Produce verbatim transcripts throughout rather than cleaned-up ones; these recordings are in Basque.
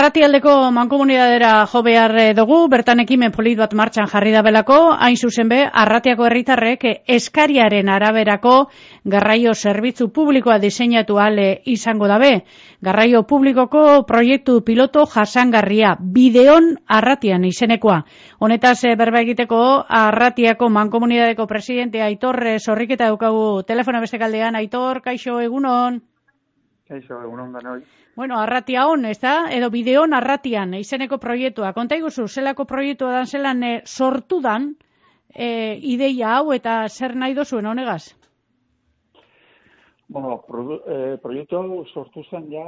Arratialdeko mankomunidadera jo behar dugu, bertan ekimen polit bat martxan jarri dabelako, hain zuzen be, Arratiako herritarrek eskariaren araberako garraio zerbitzu publikoa diseinatu ale izango dabe. Garraio publikoko proiektu piloto jasangarria, Bideon Arratian izenekoa. Honetaz berba egiteko Arratiako mankomunidadeko presidente Aitor Zorriketa daukagu telefona beste kaldean. Aitor, kaixo, egunon? Kaixo, egunon danoi. Bueno, Arratia hon, ez da? Edo Bideon Arratian, izeneko proiektua. Konta iguzu, zelako proiektua dan zelan e, sortu dan e, ideia hau eta zer nahi dozuen honegaz? Bueno, pro, eh, proiektu hau sortu zen ja,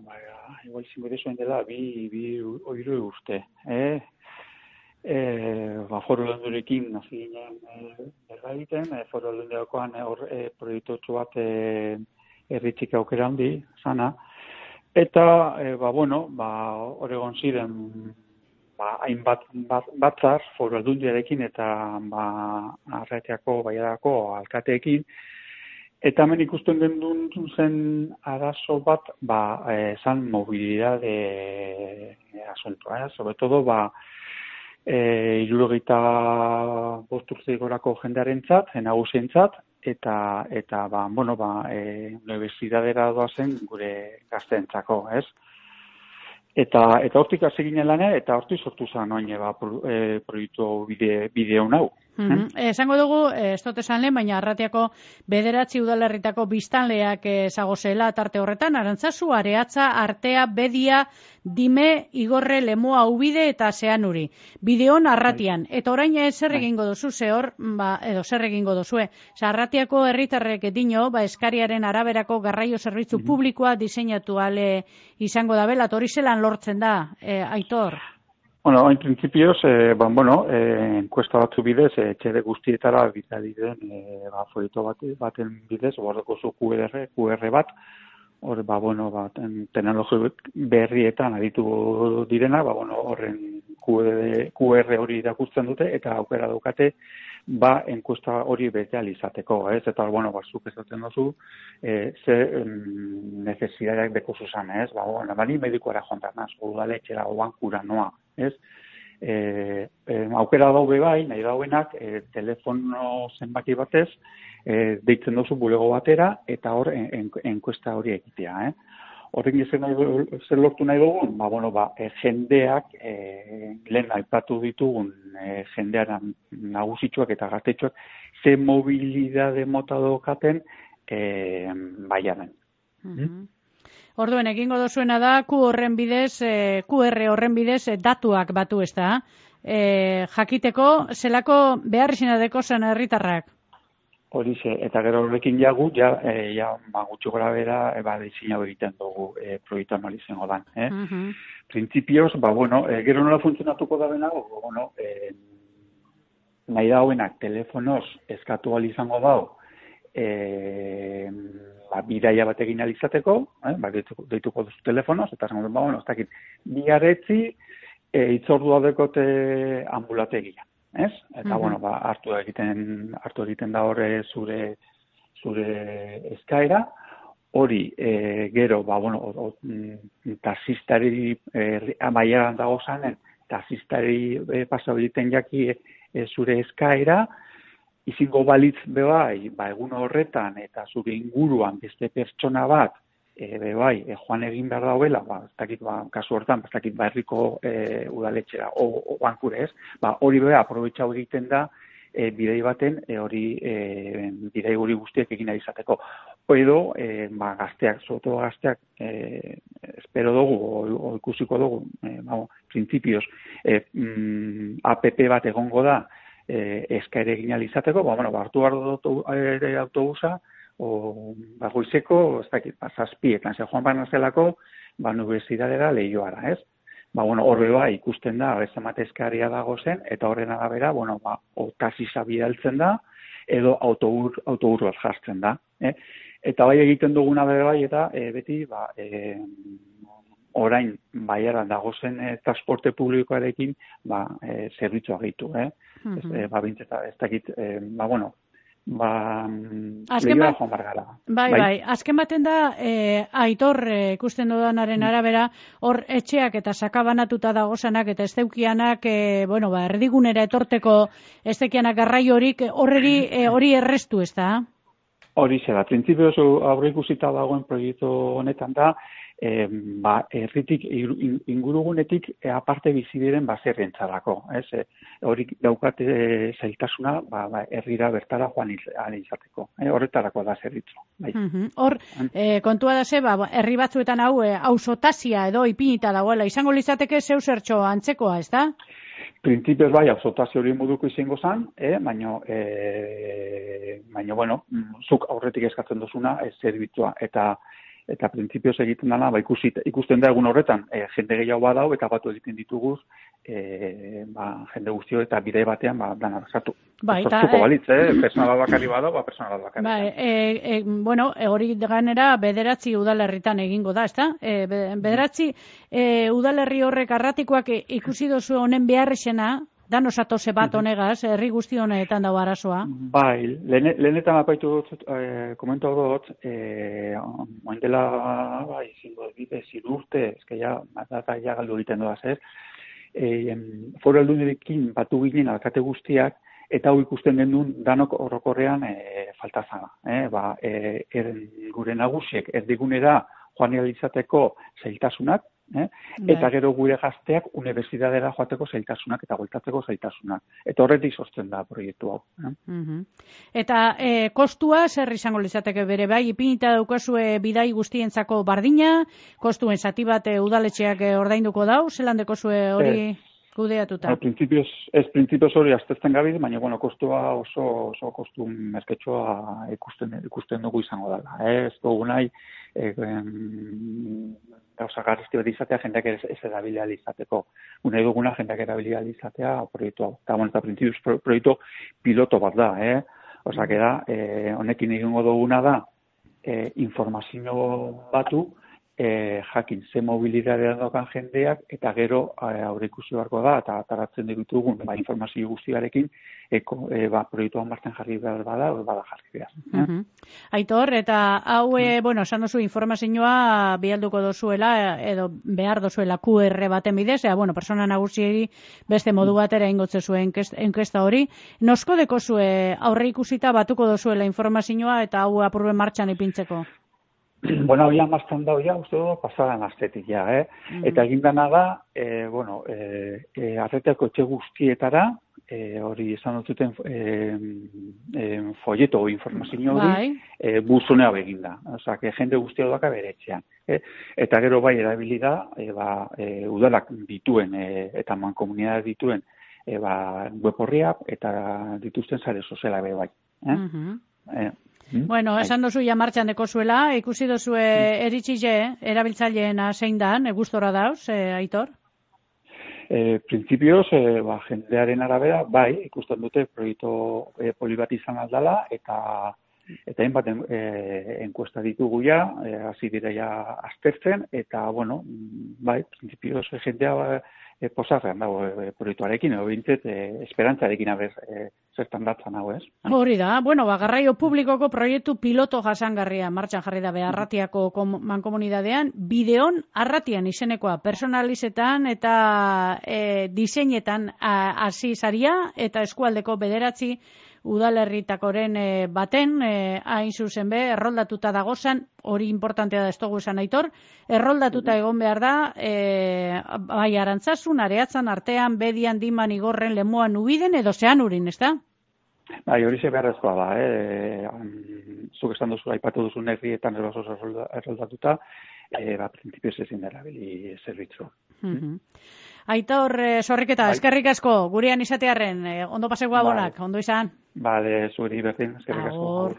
ba, igual zinbide zuen dela, bi, bi oiru urte. Eh? Eh, ba, foru lendurekin nazi ginen eh, berra egiten, eh, foru lendurekoan hor eh, proiektu bat eh, erritxik aukera handi, sana. Eta, e, ba, bueno, ba, Oregon ziren, ba, hainbat bat, batzar, foru aldundiarekin eta, ba, Arratiako, Baiadako alkateekin. Eta hemen ikusten gendun zen arazo bat, ba, e, zan mobilidade e, asuntoa, eh? Sobre todo, ba, e, hirurogeita bost urte gorako jendearentzat, nagusientzat, eta eta ba bueno ba eh unibertsitatera doazen gure gazteentzako, ez? Eta eta hortik hasi ginen lanean eta hortik sortu zen orain ba pro, e, proiektu bide bideo hau. Mm-hmm. Eh? Esango dugu, ez dut esan lehen, baina Arratiako bederatzi udalerritako biztanleak ezagozela tarte horretan, Arantzazu, Areatza, Artea, Bedia, Dime, Igorre, Lemoa, Ubide eta Zeanuri. Bideon Arratian. Eta orain zer egingo dozu, zehor, ba, edo zer egingo dozue. Osa, Arratiako herritarrek dino, ba, eskariaren araberako garraio zerbitzu mm-hmm. publikoa diseinatu ale izango da bela, hori zelan lortzen da, eh, Aitor? Bueno, en principios, eh, ba, bueno, eh, enkuesta batzu bidez, eh, txede guztietara bitari den, eh, ba, folieto bat, baten bidez, bordeko zu Q R, Q R bat, hor, ba, bueno, ba, teknologi berrietan aditu direna, ba, bueno, horren Q R hori irakurtzen dute, eta aukera daukate, ba, enkuesta hori bete alizateko, ez? Eta, bueno, ba, zuk ezaten dozu, eh, ze mm, necesidades deko zuzan, ez? Ba, bueno, bani medikoara jontan, naz, udaletxera, oan kura noa, ez? E, e, aukera daube bai, nahi dauenak, e, telefono zenbaki batez, e, deitzen duzu bulego batera, eta hor en, en, enkuesta hori egitea, eh? Horren zer, nahi, zer lortu nahi dugun, ba, bueno, ba, e, jendeak, e, lehen aipatu ditugun e, jendearen nagusitxoak eta gaztetxoak, ze mobilidade mota daukaten e, baiaren. Mm-hmm. Orduen, egingo dozuena da, Q horren bidez, eh, Q R horren bidez, eh, datuak batu ez da. Eh, jakiteko, zelako behar izena deko zen herritarrak? Horixe, eta gero horrekin jagu, ja, e, ja ba, gutxi gora bera, e, ba, diseinau egiten dugu e, proiektu amal izango dan. Eh? Uh-huh. Printzipioz, ba, bueno, e, gero nola funtzionatuko da benago, bueno, e, nahi dauenak telefonoz eskatu al izango dau, e, ba, bidaia bat egin alizateko, eh? Ba, deituko, deituko duzu telefonoz, eta zango dut, ba, bueno, ez dakit, bigarretzi e, itzordua dekote ambulategia. Ez? Eta, mm-hmm. bueno, ba, hartu egiten, hartu egiten da horre zure, zure eskaera, hori, e, gero, ba, bueno, o, o, taxistari, e, amaieran dago zanen, taxistari e, pasau egiten jaki e, zure eskaera, izingo balitz bebai, ba, egun horretan, eta zure inguruan beste pertsona bat, E, be bai, e, joan egin behar dauela, ba, ez dakit, ba, kasu hortan, ez dakit, ba, herriko e, udaletxera, o, o bankure ez, ba, hori beha, aprobetxau egiten da, e, bidei baten, e, hori, e, bidei hori guztiak egin izateko. Edo, e, ba, gazteak, zoto gazteak, e, espero dugu, o, o ikusiko dugu, e, ba, printzipioz, e, mm, app bat egongo da, e, eskaere egin izateko, ba, bueno, ba, hartu behar dut ere autobusa, o bagoizeko, ez dakit, ba, zazpietan, ze joan baina zelako, ba, universitatera lehioara, ez? Ba, bueno, horre ba, ikusten da, bezamate eskaria dago zen, eta horren arabera, bueno, ba, o taxisa bidaltzen da, edo autobur, autobur bat jartzen da, eh? Eta bai egiten duguna bere bai, eta e, beti, ba, e, orain, baiaran dago zen e, transporte publikoarekin, ba, e, zerbitzua gehitu, eh? Mm-hmm. Ez, e, ba, bintzeta, ez dakit, e, ba, bueno, ba, azken lehioa joan bargara. Bai, bai, bai. Azken baten da, e, Aitor, e, ikusten dudanaren arabera, hor etxeak eta sakabanatuta dagozanak eta ez deukianak, e, bueno, ba, erdigunera etorteko ez dekianak garraio horik, horreri e, hori errestu, ez da? Hori zera, printzipioz aurre ikusita dagoen proiektu honetan da, e, ba, erritik, ingurugunetik e, aparte bizi diren baserrientzarako, ez? E, hori daukate e, zailtasuna, ba, ba, herrira bertara joan izateko, e, horretarako da zerbitzu. Bai. Uh-huh. Hor, e, kontua da ze, ba, herri batzuetan hau, e, ausotazia edo ipinita dagoela, izango litzateke zeu zertxo antzekoa, ez da? Printzipioz bai, ausotazio hori moduko izango zen, eh, baina, eh, baina, bueno, zuk aurretik eskatzen duzuna, ez zerbitzua, eta eta printzipioz egiten dana, ba, ikusit, ikusten da egun horretan, e, jende gehiago badau, eta batu egiten dituguz, e, ba, jende guztio eta bide batean, ba, dana sartu. Ba, eta, Sortuko balitz, eh? Personal bakari badau, ba, personal bakari. Ba, e, e, bueno, hori ganera bederatzi udalerritan egingo da, ezta? E, bederatzi e, udalerri horrek arratikoak ikusi dozu honen beharrexena, dan osatose bat honegaz, herri guzti honetan dago arazoa. Bai, lehenetan apaitu dut, eh, komentu dut, eh, oin dela, bai, zingo bide, zirurte, ezke ja, data ja galdu egiten doaz, ez? Eh, Foru Aldundirekin batu ginen alkate guztiak, eta hau ikusten genuen danok horrokorrean eh, falta zana. Eh? Ba, eh, er, gure nagusiek erdigunera joan izateko zailtasunak, Eh? Eta gero gure gazteak unibertsitatera joateko zailtasunak eta bueltatzeko zailtasunak. Eta horretik sortzen da proiektu hau. Eh? Uh-huh. Eta e, kostua zer izango litzateke bere bai, ipinita daukazue bidai guztientzako bardina, kostuen zati bat e, udaletxeak e, ordainduko dau, zelan dekozue hori eh, kudeatuta? Printzipioz, ez printzipioz hori aztertzen gabi, baina bueno, kostua oso, oso kostu merketsua ikusten, ikusten dugu izango dela. Eh? Ez dugu nahi, eh, gauza garrizti bat izatea, jendeak ez, ez erabilia izateko. Unai duguna, jendeak erabilia izatea proiektu hau. Eta, bueno, eta printzipioz pro, proiektu piloto bat da, eh? Osa, da, eh, honekin egingo duguna da, eh, informazio batu, E, jakin, ze mobilitatea dokan jendeak, eta gero aurre ikusi beharko da, eta ataratzen ditugun ba, informazio guztiarekin, eko, e, ba, proiektuan martzen jarri behar bada, bada jarri behar. Eh? Uh-huh. Aitor, eta hau, e, uh-huh. bueno, esan duzu informazioa bialduko dozuela, edo behar dozuela Q R baten bidez, ea, bueno, persona nagusieri beste modu batera ingotze zuen enkesta hori. Nosko deko zue aurre ikusita batuko dozuela informazioa eta hau apurben martxan ipintzeko? Bueno, había más tanda ya, uste dugu, pasaran astetik ja, eh? Mm. Eta egindana da, eh, bueno, eh, eh, arretako etxe guztietara, eh, hori esan dututen eh, eh, folleto o informazio hori, eh, buzunea beginda. Osa, que jende guztia doaka bere etxean. Eh? Eta gero bai erabili da, eh, ba, eh, udalak dituen, eh, eta mankomunidad dituen, eh, ba, web horria, eta dituzten sare soziala be bai. Eh? Uh-huh. eh, Bueno, esan dozu ja martxan deko zuela, ikusi dozu e, eritxile, erabiltzaileena zein dan, e, gustora dauz, e, Aitor? E, Printzipioz, e, ba, jendearen arabera, bai, ikusten dute proiektu e, poli bat izan aldala, eta eta hainbat e, enkuesta ditugu ja, e, hasi dira ja aztertzen, eta, bueno, bai, printzipioz jendea e, posarrean dago e, proiektuarekin, edo bintzet, e, esperantzarekin abez, e, zertan datzan hau, ez? Hori da, bueno, ba, garraio publikoko proiektu piloto jasangarria martxan jarri da Arratiako mankomunidadean, bideon Arratian izenekoa, personalizetan eta e, diseinetan hasi zaria, eta eskualdeko bederatzi udalerritakoren e, baten, e, hain zuzen be, erroldatuta dagozan, hori importantea da ez dugu esan Aitor, erroldatuta egon behar da, e, bai Arantzazun, Areatzan, Artean, Bedian, Diman, Igorren, Lemoan, Ubiden, edo Zeanurin, ez da? Bai, hori ze beharrezkoa da, eh? Zuk esan duzu, aipatu duzu herrietan erosoz erroldatuta, e, ba, prinsipioz ezin dela bili zerbitzu. Uh-huh. Aitor, sorriketa, bai. Eskerrik asko, gurean izatearren, eh, ondo paseko abonak, ondo izan. Bale, zuri berdin, eskerrik asko.